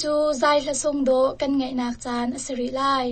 cu zai hla sung dawh kan ngaihnak caan a si rih lai.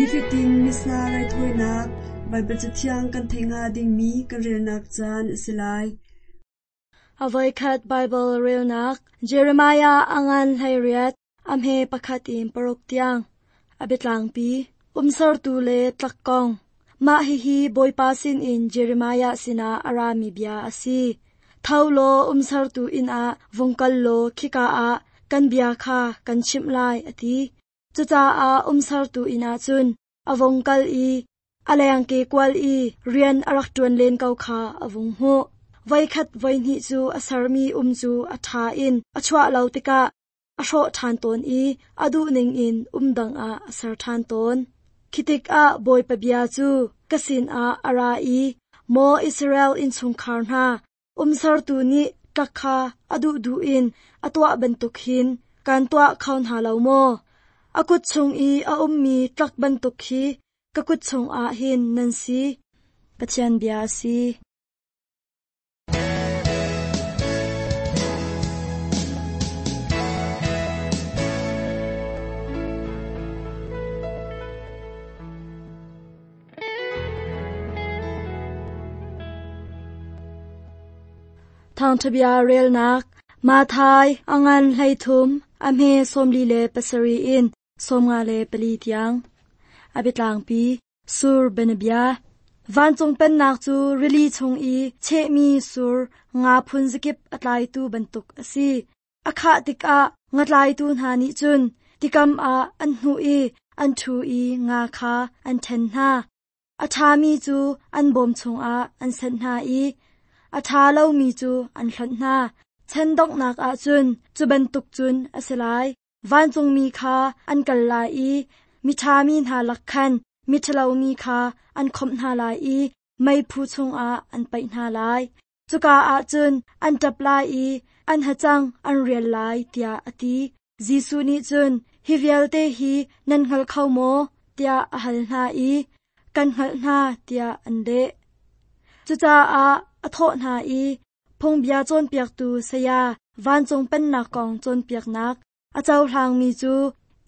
Nifatin Missa raithawinak Baibal Cathiang kan theih hnga dingmi kan relnak caan a si lai. A voikhat Baibal relnak Jeremiah a ngan 18 a hme pakhat in paruk tiang. A biatlangpi umsertu le tlak kong. Mah hihi Bawipa sinin Jeremiah sinah a rami bia a si. Tho law umsertu inn ah vung kal law khika ah kan bia kha kan chimh lai, a ti. Cucaah umsertu inn ah cun a vung kal i a lengke kual i rian a rak ṭuan len ko kha a vung hmuh. Voikhat voihnih cu a sermi um cu a ṭha in a chuah lo tikah a hrawh ṭhan tawn i a duhning in um dang ah a ser ṭhan tawn. Khi tikah Bawipa bia cu ka sinah a ra i, Maw Israel innchungkhar hna, umsertu nih tlak kha a duhduh in a tuah bantuk hin kan tuah kho hna lo maw? A kut chung i a ummi tlak bantuk khi ka kut chungah hin nan si. Pathian bia a si. Thawngṭhabia relnak Mathai a ngan 13 a hme 47 in 54 tiang. A biatlangpi Sur bianabia. Vancung pennak cu rili chung i chehmi sur nga phun zakip a tlaitu bantuk a si. A khah tikah ngatlaitu hna nih cun tikam ah an hnuh i an ṭhu i nga kha an ṭhen hna. A ṭhami cu an bawm chungah an senh hna i a ṭha lomi cu an hlonh hna. Chan donghnak ah cun cu bantuk cun a si lai. Vancungmi kha an kal lai i miṭhami hna lak khan miṭhalomi kha an khawmh hna lai i meiphu chungah an paih hna lai. Cuka ah cun an ṭap lai i an hacang an rial lai, tiah a ti. Jesuh nih cun, Hi vialte hi nan hngal kho maw? tiah a hal hna i, Kan hngalh hna, tiah an leh. Cucaah a thawh hna i, Phungbia cawnpiaktu saya vancung pennak kong cawnpiaknak a cohlangmi cu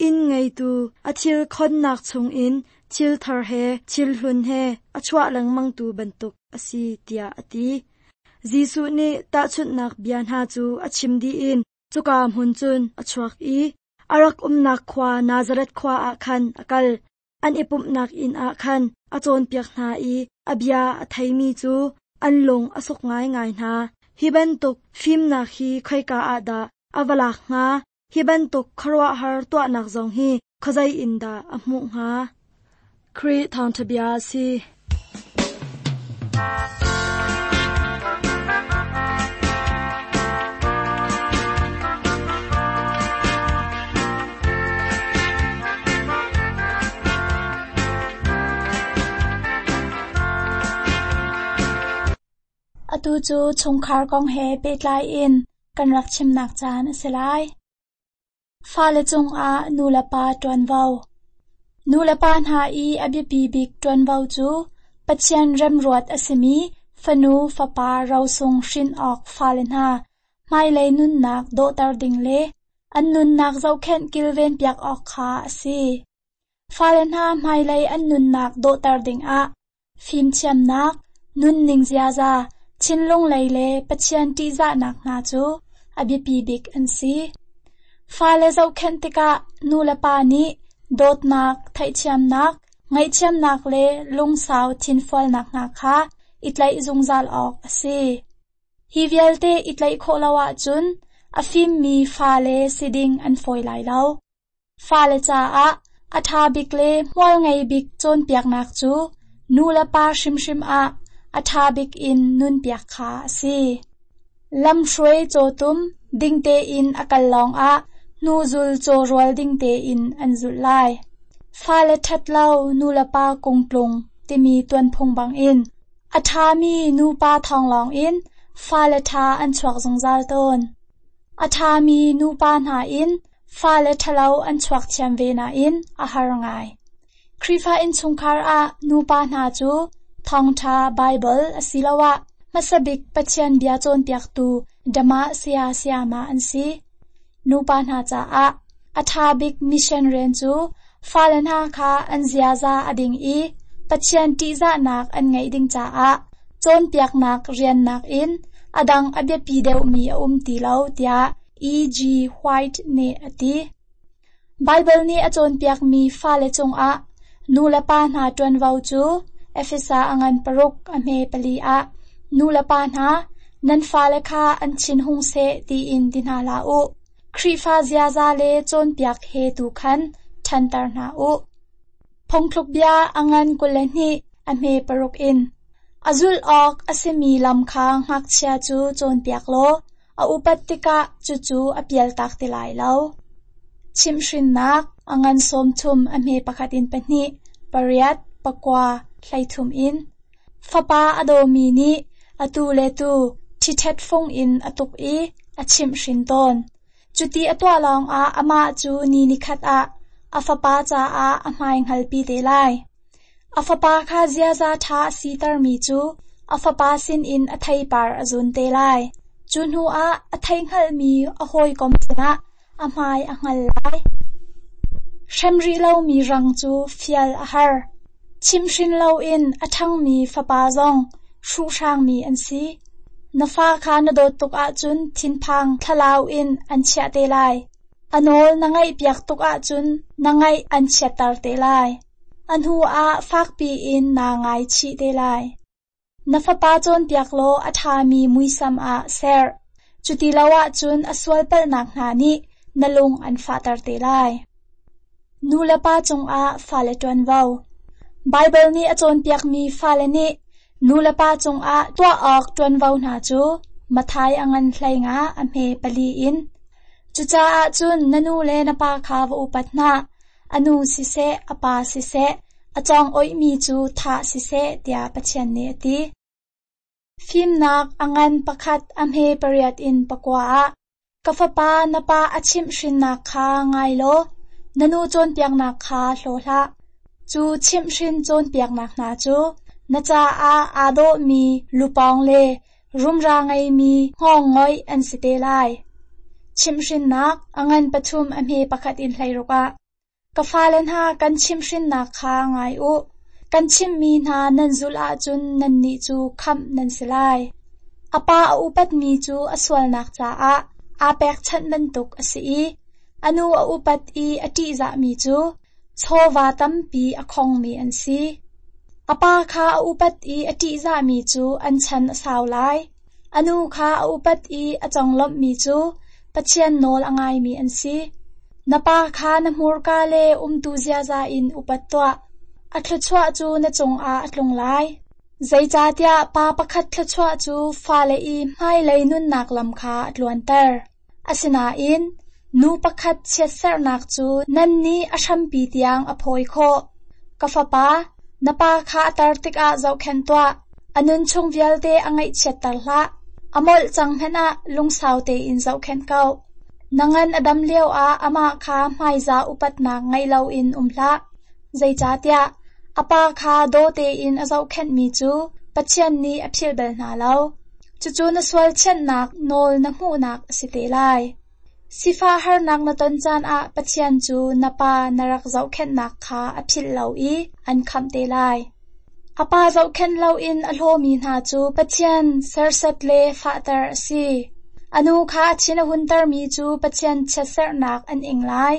inn ngeitu a thil khonnak chungin thil thar he thil hlun he a chuah lengmangtu bantuk a si tiah a ti. Jesuh nih tahchunhnak bia hna cu a chim dih in cuka hmun cun a chuak i a rak umnak khua Nazareth khua ah khan a kal. An i pumhnak inn ah khan a cawnpiak hna i a bia a theimi cu an lung a suk ngaingai hna. Hi bantuk fimnak hi khoika ah dah a va lak hnga? Hi bantuk khuaruahhar tuahnak zong hi khuazei in dah a hmuh hnga? Khrih thawngṭha bia a si. Atu cu chungkhar kong he pehtlai in kan rak chimnak caan a si lai. Fale cungah nulepa ṭuanvo. Nulepa hna i a biapi bik ṭuanvo cu Pathian remruat a simi fanu fapa rosung hrin awk fale hna hmailei nunnak dawhter ding le an nunnak zohkhenh kilvenpiak awk kha a si. Fale hna hmailei an nunnak dawhter dingah fimthiamnak, nunning ziaza, thinlung lei le Pathian ṭihzahnak hna cu a biapi bik an si. Fale zohkhenh tikah nulepa nih dawtnak, theihthiamnak, ngaihthiamnak le lungsau thinfualnak hna kha i tlaih zungzal awk a si. Hi vialte i tlaih khawh lo ahcun a fimmi fale si ding an fawi lai lo. Fale caah a ṭha bik le hmual ngei bik cawnpiaknak cu nu le pa hrimhrim ah a ṭha bik in nunpiak kha a si. Lamhruai cawtum ding tein a kal lawngah hnuzul cawrual ding tein an zulh lai. Fale ṭhat lo nu le pa kungtlung timi tuanphung bangin a ṭhami nupa thawng lawngin fale ṭha an chuak zungzal tawn. A ṭhami nupa hna in fale ṭhalo an chuak thiam ve nain a har ngai. Khrihfa innchungkhar ah nupa hna cu thawngṭha Baibal asiloah hmasa bik Pathian bia cawnpiaktu dama saya sayama an si. Nupa hna caah a ṭha bik mission rian cu Fale hna kha an ziaza a ding i Pathian ṭihzahnak an ngeih ding caah cawnpiaknak rian nakin a dang a biapi deuhmi a um ti lo tiah E. G. White nih a ti. Baibal nih a cawnpiakmi fale cungah nulepa hna ṭuanvo cu Efesa a ngan paruk a hme pali ah nulepa hna nan fale kha an thin hung seh tiin ti hna hlah u. Khrihfa ziaza le cawnpiak he tu khan ṭhanter hna u. Phungthluk bia a ngan 22 a hme paruk in. A zulh awk a simi lam kha ngakchia cu cawnpiak law a upat tikah cucu a pialtak ti lai lo. Chimhhrinnak a ngan 30 a hme pakhat in pahnih, pariat, pakua, 13 in. Fapa a dawmi nih atu le tu ṭhiṭhet fung in a tuk i a chimhhrin tawn. Cuti a tuah lawngah amah cu ni nikhat ah a fapa caah a hmai hngalpi te lai. A fapa kha ziaza ṭha a sitermi cu a fapa sinin a theipar a zun te lai. Cu hnuah a theihngalhmi a hawikom sinah a hmai a hngal lai. Hrem rih lomi rang cu fial a har. Chimhhrin loin a ṭhangmi fapa zong hruhhrangmi an si. Na fa kha na dawt tuk ahcun thinphang thlalau in an chiah te lai. A nawl na ngaihpiak tuk ahcun na ngaih an chiatter te lai. A hnuah fakpi in naa ngaichih te lai. Na fapa cawnpiak law a ṭhami muisam ah ser. Cuti lo ahcun a sualpalhnak hna nih na lung an fahter te lai. Nulepa cungah fale ṭuanvo. Baibal nih a cawnpiakmi fale nih nulepa cungah tuah awk ṭuanvo hna cu Matthai a ngan 15 a hme pali in. Cucaah cun na nu le na pa kha va upat hna. A nu siseh, a pa siseh, a cawng oihmi cu thah siseh, tiah Pathian nih a ti. Fimnak a ngan pakhat a hme pariat in pakua ah, ka fapa na pa a chimhhrinnak kha ngai law na nu cawnpiaknak kha hlaw hlah. Cu chimhhrin cawnpiaknak hna cu na caah aa dawhmi lupawng le rumra ngeimi hngawngngoih an si te lai. Chimhhrinnak a ngan pathum a hme pakhat in 16 ah, ka fale hna kan chimhhrinnak kha ngai u. Kan chimhmi hna nan zulh ahcun nannih cu khamh nan si lai. A pa a upatmi cu a sualnak caah aa pekchanh bantuk a si i a nu a upat i a ṭihzahmi cu chawva tampi a khongmi an si. A pa kha a upat i a ṭihzahmi cu an chan a sau lai. A nu kha a upat i a conglawmhmi cu Pathian nawl a ngaimi an si. Na pa kha na hmurka le umtu ziaza in upat tuah. A thluachuah cu na cungah a tlung lai. Zeicahtiah pa pakhat thluachuah cu fale i hmailei nunnak lam kha a tluanter. Asinain nu pakhat chiatserhnak cu nannih a hrampi tiang a phawi khawh. Ka fapa, na pa kha a tar tikah zohkhenh tuah. A nunchung vialte a ngaihchiatter hlah. A molh cang hmanh ah lungsau tein zohkhenh ko. Na ngan a dam lioah amah kha hmaizah upatnak ngei loin um hlah. Zeicahtiah a pa kha daw tein a zohkhenhmi cu Pathian nih a philh bal hna lo. Cucu na sual thianhnak nawl na hmuhnak a si te lai. Sifah harnak na ton caan ah Pathian cu na pa na rak zohkhenhnak kha a philh lo i an khamh te lai. A pa zohkhenh loin a hlawmi hna cu Pathian serhsat le fahter a si. A nu kha a thin a huntermi cu Pathian chiatserhnak an ing lai.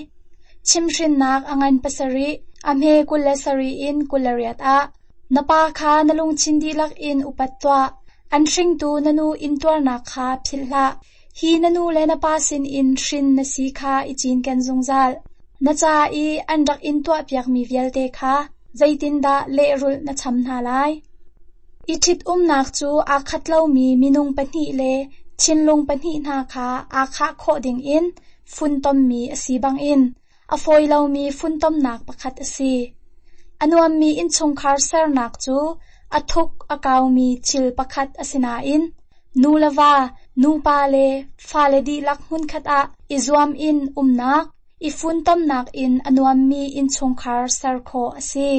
Chimhhrinnak a ngan pasarih, a hme 27 in 28 ah, na pa kha na lungthin dihlak in upat tuah. An hringtu na nu intuarnak kha philh hlah. Hi na nu le na pa sinin hrin na si kha i cinken zungzal. Na ca i an rak in tuahpiakmi vialte kha zeitindah lehrulh na cham hna lai? I ṭhitumnak cu aa khat lomi minung pahnih le thinlung pahnih hna kha aa khah khawh dingin funtommi a si bangin a fawi lomi funtomnak pakhat a si. A nuammi innchungkhar sernak cu a thuk a kaumi thil pakhat a si nain nu le va, nupa le fale dihlak hmunkhat ah i zuam in umnak, i funtomnak in a nuammi innchungkhar ser khawh a si.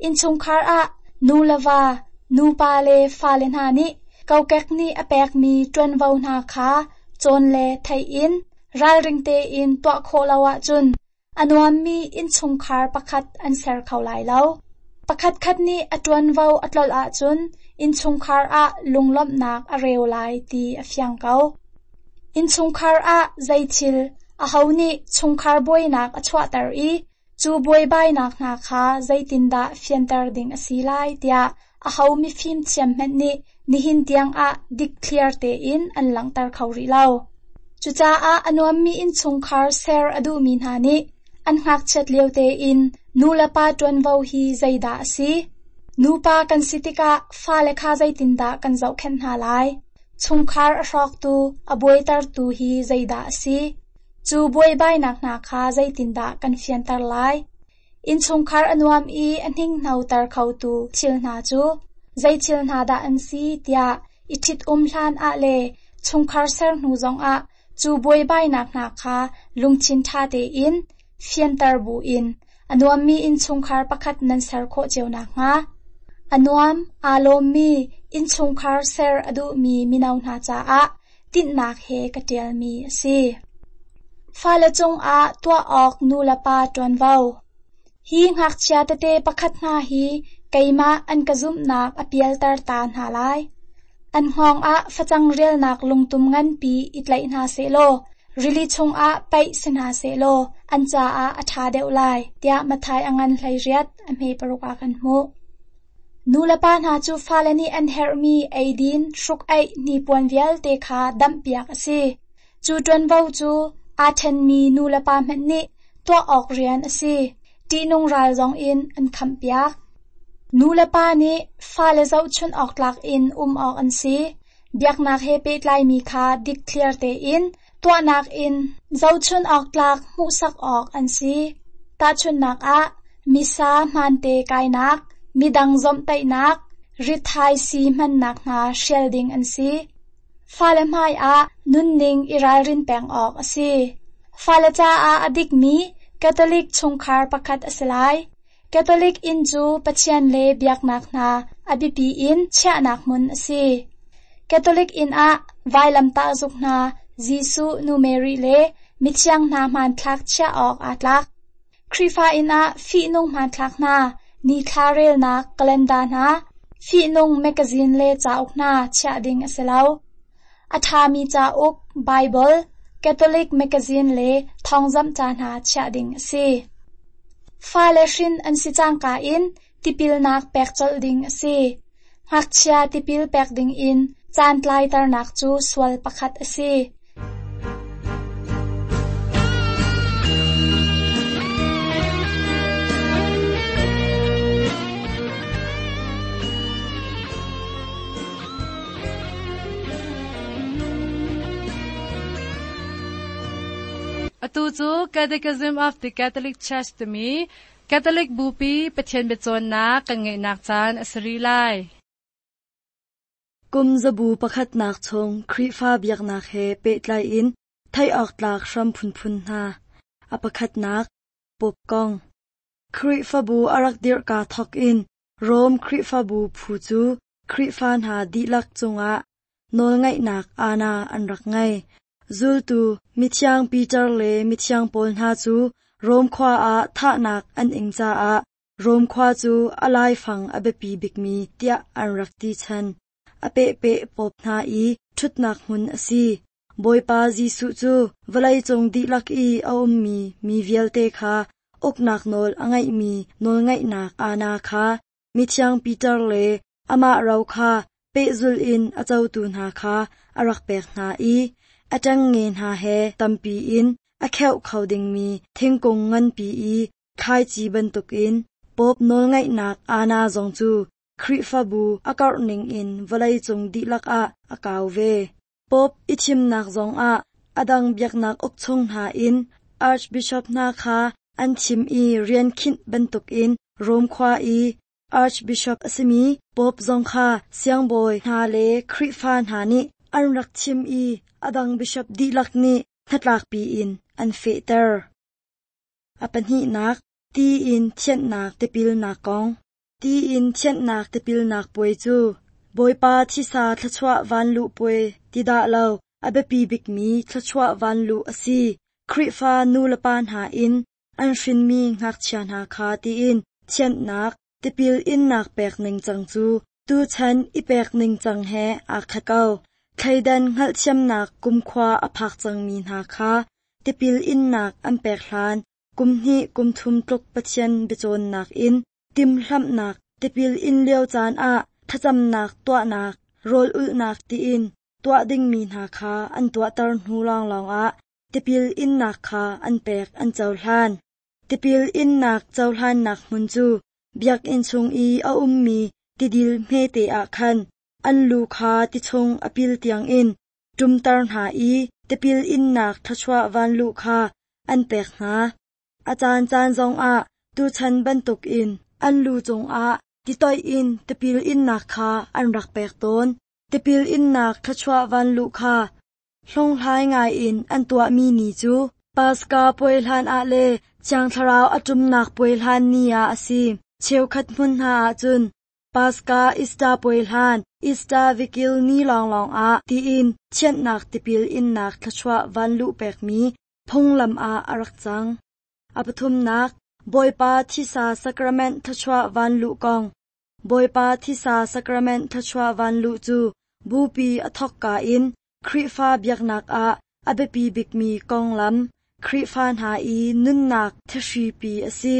Innchungkhar ah nu le va, nupa le fale hna nih kokek nih a pekmi ṭuanvo hna kha cawn le theih in ralring tein tuah khawh lo ahcun a a nuammi innchungkhar pakhat an ser kho lai lo. Pakhatkhat nih a ṭuanvo a tlolh ahcun innchungkhar ah lunglawmhnak a reu lai ti a fiang ko. Innchungkhar ah zeithil, aho nih chungkhar buainak a chuahter i cu buaibainak hna kha zeitindah fianter ding a si lai tiah aho mifim thiam hmanh nih nihin tiangah dikthliar tein an langhter kho rih lo. Cucaah a nuammi innchungkhar ser a duhmi hna nih an ngakchiat lio tein nu le pa ṭuanvo hi zeidah a si? Nupa kan si tikah fale kha zeitindah kan zohkhenh hna lai? Chungkhar a hrawktu, a buaitertu hi zeidah a si? Cu buaibainak hna kha zeitindah kan fianter lai? Innchungkhar a nuam i a hninghnoter khotu thil hna cu zei thil hna dah an si tiah i ṭhitum hlan ah le chungkhar ser hnu zongah cu buaibainak hna kha lungthin ṭha tein fianter buin a nuammi innchungkhar pakhat nan ser khawh cio nakhnga. A nuam, aa lawmmi innchungkhar ser a duhmi mino hna caah tinhnak he ka ṭialmi a si. Fale cungah tuah awk nulepa ṭuanvo. Hi ngakchia tete pakhat hna hi keimah an ka zumhnak a pialter ta hna lai. An hngawng ah facang rialnak lungtum nganpi i tlaih hna sehlaw rili chungah paih si hna sehlaw an caah a ṭha deuh lai, tiah Matthai a ngan 18 a hme 6 ah kan hmuh. Nulepa hna cu fale nih an herhmi eidin, hruk-aih, hnipuan vialte kha damhpiak a si. Cu ṭuanvo cu aa ṭhenmi nulepa hmanh nih tuah awk rian a si. Ṭihnung ral zongin an khamhpiak. Nulepa nih fale zohchunh awk tlak in um awk an si. Biaknak he pehtlaimi kha dikthliar tein tuahnak in zohchunh awk tlak hmuhsak awk an si. Tahchunhnak ah, misa hmaante kainak, midang zawmhtaihnak, rithaisii hmannak hna hrial ding an si. Fale hmaiah nunning i ralrin peng awk a si. Fale caah a dikmi Catholic chungkhar pakhat a si lai. Catholic inn cu Pathian le biaknak hna a biapi in chiahnak hmun a si. Catholic inn ah vailamtah zuk hna, Jesuh, Nu Mary le mithiang hna hmanthlak chiah awk aa tlak. Khrihfa inn ah fihnung hmanthlak hna, nithla relnak calendar hna, fihnung mekazin le cauk hna chiah ding a si lo. A ṭhami cauk, Baibal, Catholic mekazin le thawngzamh ca hna chiah ding a si. Fale hrin an si cangka in tipilnak pek colh ding a si. Ngakchia tipil pek ding in caan tlaiternak cu sual pakhat a si. Atu cu Catechism of the Catholic Church timi Catholic Bupi Pathian biacawnnak kan ngeihnak caan a si rih lai. Kum zabu pakhatnak chung Khrihfa biaknak he pehtlai in theih awk tlak hram phunphun hna. A pakhatnak, Pope kong. Khrihfabu a rak dirhka thawk in Rom Khrihfabu phu cu Khrihfa hna dihlak cungah nawlngaihnak aana an rak ngei. Zultu mithiang Peter le mithiang Paul hna cu Rom khua ah thahnak an ing caah Rom khua cu a laifang a biapi bikmi tiah an rak ti chan. A pehpeh Pope hna i ṭhutnak hmun a si. Bawipa Jesuh cu vawleicung dihlak i a ummi mi vialte kha uknak nawl a ngeihmi nawlngaihnak aana kha mithiang Peter le amah ro kha pehzulh in a cotu hna kha a rak pek hna i a ṭengnge hna he tampi in a kheuh kho dingmi thingkung nganpi i thlaici bantukin Pope nawlngaihnak aana zong cu Khrihfabu a karh ningin vawleicung dihlak ah a kau ve. Pope i thimnak zongah a dang biaknak ukchung hna in Archbishop hna kha an thim i rian khinh bantukin Rome khua i Archbishop a simi Pope zong kha siangbawi hna le Khrihfa hna nih an rak thim i a dang bishop dihlak nih hnatlakpi in an fehter. A pahnihnak, ti in thianhnak tipilnak kong. Ti in thianhnak tipilnak puai cu Bawipa thisa thluachuah vanluh puai ti dah lo a biapi bikmi thluachuah vanluh a si. Khrihfa nu le pa hna in an hrinmi ngakchia hna kha tiin thianhnak, tipil innak pek ningcang cu tuchan i pek ningcang he aa khat ko. Thleidan hngalhthiamnak kumkhua a phak cangmi hna kha tipil innak an pek hlan kum hnih kum thum tluk Pathian biacawnnak in timhlamhnak, tipil in lio caan ah thlacamnak tuahnak, rawl ulhnak tiin tuah dingmi hna kha an tuahter hnu lawnglawng ah tipil innak kha an pek an cohlan. Tipil innak cohlannak hmun cu biakinn chung i a ummi tidil hmete ah khan an lu kha ti chung a pil tiangin ṭumter hna i tipil innak thluachuah vanluh kha an pek hna. A caancaan zongah tuchan bantukin an lu cungah titoih in tipil innak kha an rak pek tawn. Tipil innak thluachuah vanluh kha hlunghlai ngaiin an tuahmi ni cu Paska puai hlan ah le Thiang Thlarau a ṭumnak puai hlan ni ah a si. Cheukhat hmun hna ahcun Paska Easter puai hlan Easter Vigil ni lawnglawng ah tiin thianhnak tipil innak thluachuah vanluh pekmi phunglam ah a rak cang. A pathumnak, Bawipa thisa sacrament thluachuah vanluh kong. Bawipa thisa sacrament thluachuah vanluh cu bupi a thawkka in Khrihfa biaknak ah a biapi bikmi konglam, Khrihfa hna i nunnak thahripi a si.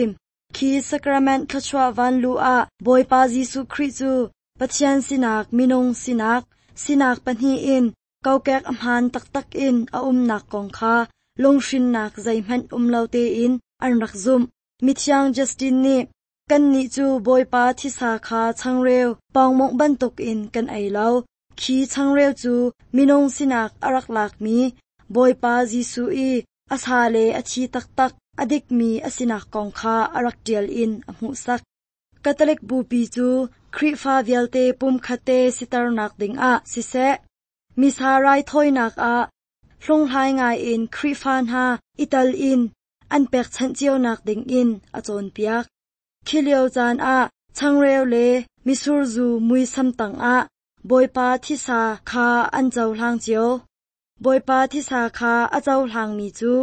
Khi sacrament thluachuah vanluh ah Bawipa Jesuh Khrih cu Pathian sinak, minung sinak, sinak pahnih in kokek a hmaan taktak in a umnak kong kha lunghrinnak zeihmanh um lo tein an rak zumh. Mithiang Justin nih, Kannih cu Bawipa thisa kha changreu pawngmawngh bantukin kan ei lo. Khi changreu cu minung sinak a rak lakmi Bawipa Jesuh i a sa le a thi taktak a dikmi a sinak kong kha a rak ṭial in a hmuhsak. Catholic Bupi cu Khrihfa vialte pumkhatte siternak dingah siseh, Missa raithawinak ah hlunghlai ngaiin Khrihfa hna i tal in an pekchanh cionak dingin a cawnpiak. Khi lio caan ah changreu le misurzu muisam tangah Bawipa thisa kha an cohlang cio. Bawipa thisa kha a cohlangmi cu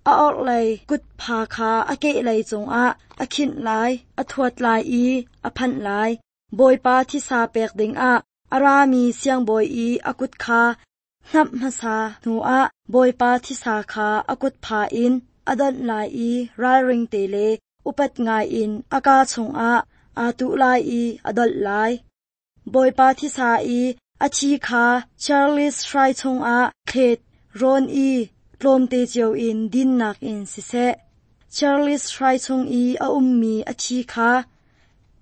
a orhlei kutpha kha a kehlei cungah a khinh lai, a thuat lai i a phanh lai. Bawipa thisa pek dingah a rami siangbawi i a kut kha hnamh hmasa hnuah Bawipa thisa kha a kutpha in a donh lai i ralring te le upat ngaiin a kaa chungah aa tuh lai i a dolh lai. Bawipa thisa i a thi kha Charles hrai chungah thlet rawn i tlawmte cio in dinnak in siseh, Charles hrai chung i a ummi a thi kha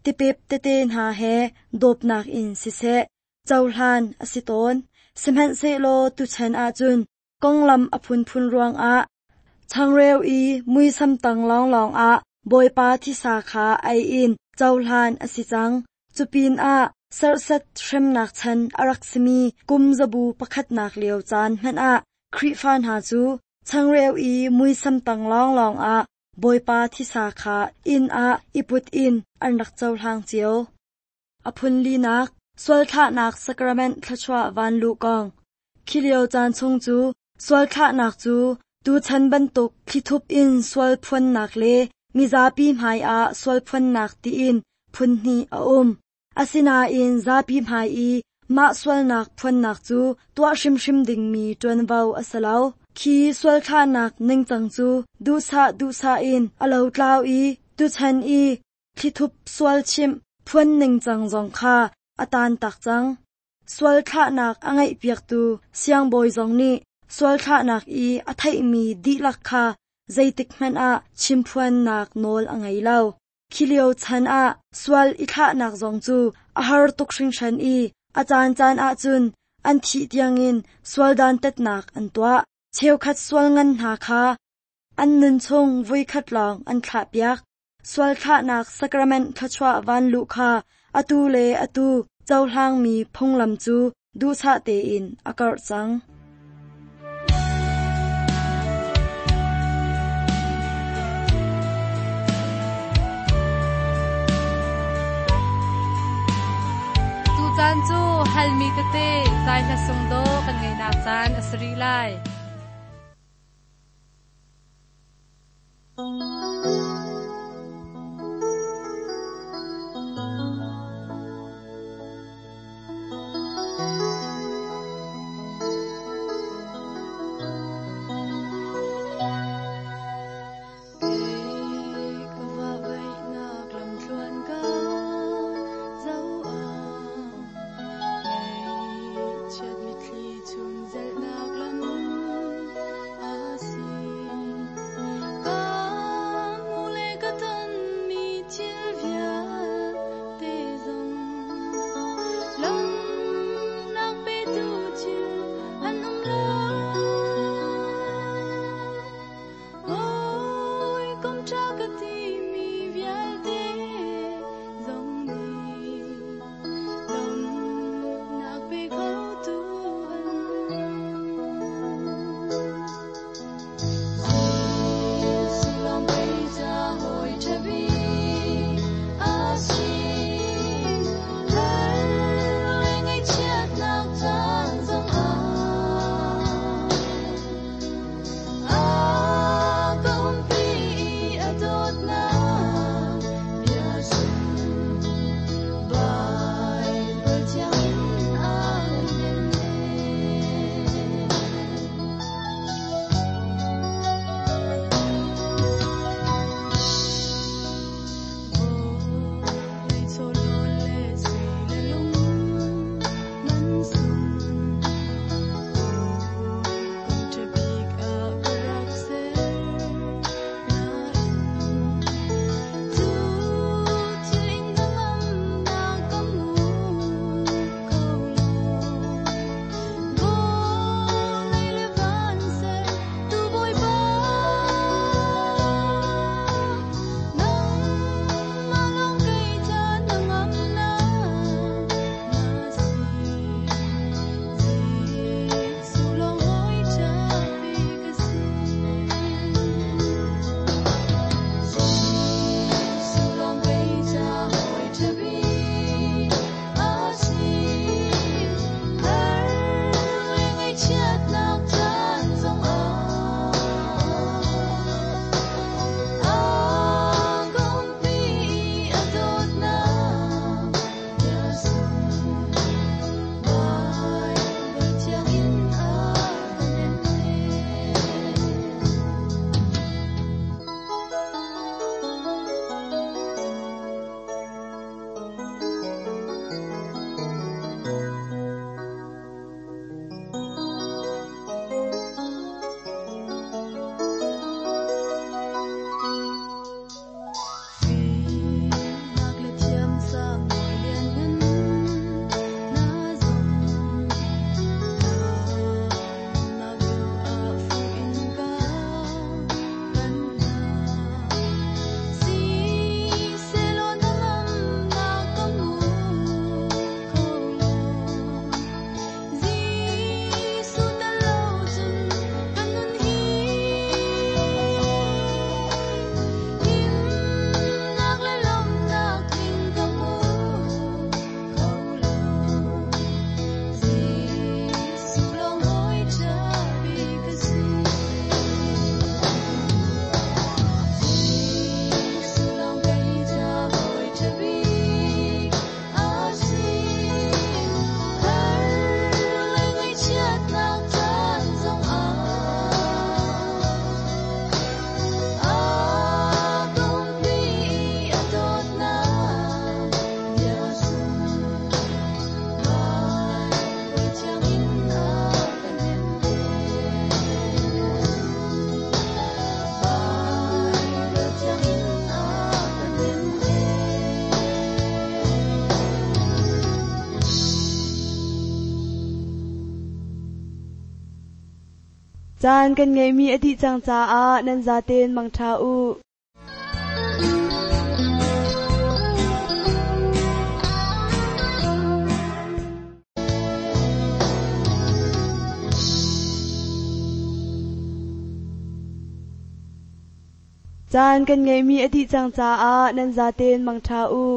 tipep tete hna he dawpnak in siseh, cohlan a si tawn. Sihmanhsehlaw tuchan ahcun konglam a phunphun ruangah changreu i muisam tang lawnglawng ah Bawipa thisa kha ei in cohlan a si cang. Cupinah serhsat hremnak chan a rak simi kum zabu pakhatnak lio caan hmanh ah Khrihfa hna cu changreu i muisam tang lawnglawng ah Bawipa thisa kha inn ah i put in an rak cohlang cio. A phun linak, sualthlahnak sacrament thluachuah vanluh kong. Khi lio caan chung cu sualthlahnak cu tuchan bantuk thlithup in sual phuannak le mizapi hmaiah sual phuannak tiin phun hnih a um. Asinain zapi hmai i mah sualnak phuannak cu tuah hrimhrim dingmi ṭuanvo a si lo. Khi sualthlahnak ningcang cu duhsah duhsah in a lotlau i tuchan i thlithup sual chimh phuan ningcang zong kha a taantak cang. Sual thlahnak a ngeihpiaktu siangbawi zong nih sual thlahnak i a theihmi dihlak kha zeitikhmanh ah chimphuannak nawl a ngei lo. Khi lio chan ah sual i thlahnak zong cu a har tuk hringhran i a caancaan ahcun an thih tiangin sual dantatnak an tuah. Cheukhat sual ngan hna kha an nunchung voikhat lawng an thlahpiak. Sual thlahnak sacrament thluachuah vanluh kha atu le atu cohlangmi phunglam cu duhsah tein a karh cang. Tucaan cu halmi tete zai hla sung dawh kan ngeihnak caan a si rih lai. Caan kan ngeihmi a dih cang caah nan zaten mangṭha u. Caan kan ngeihmi a dih cang caah nan zaten mangṭha u.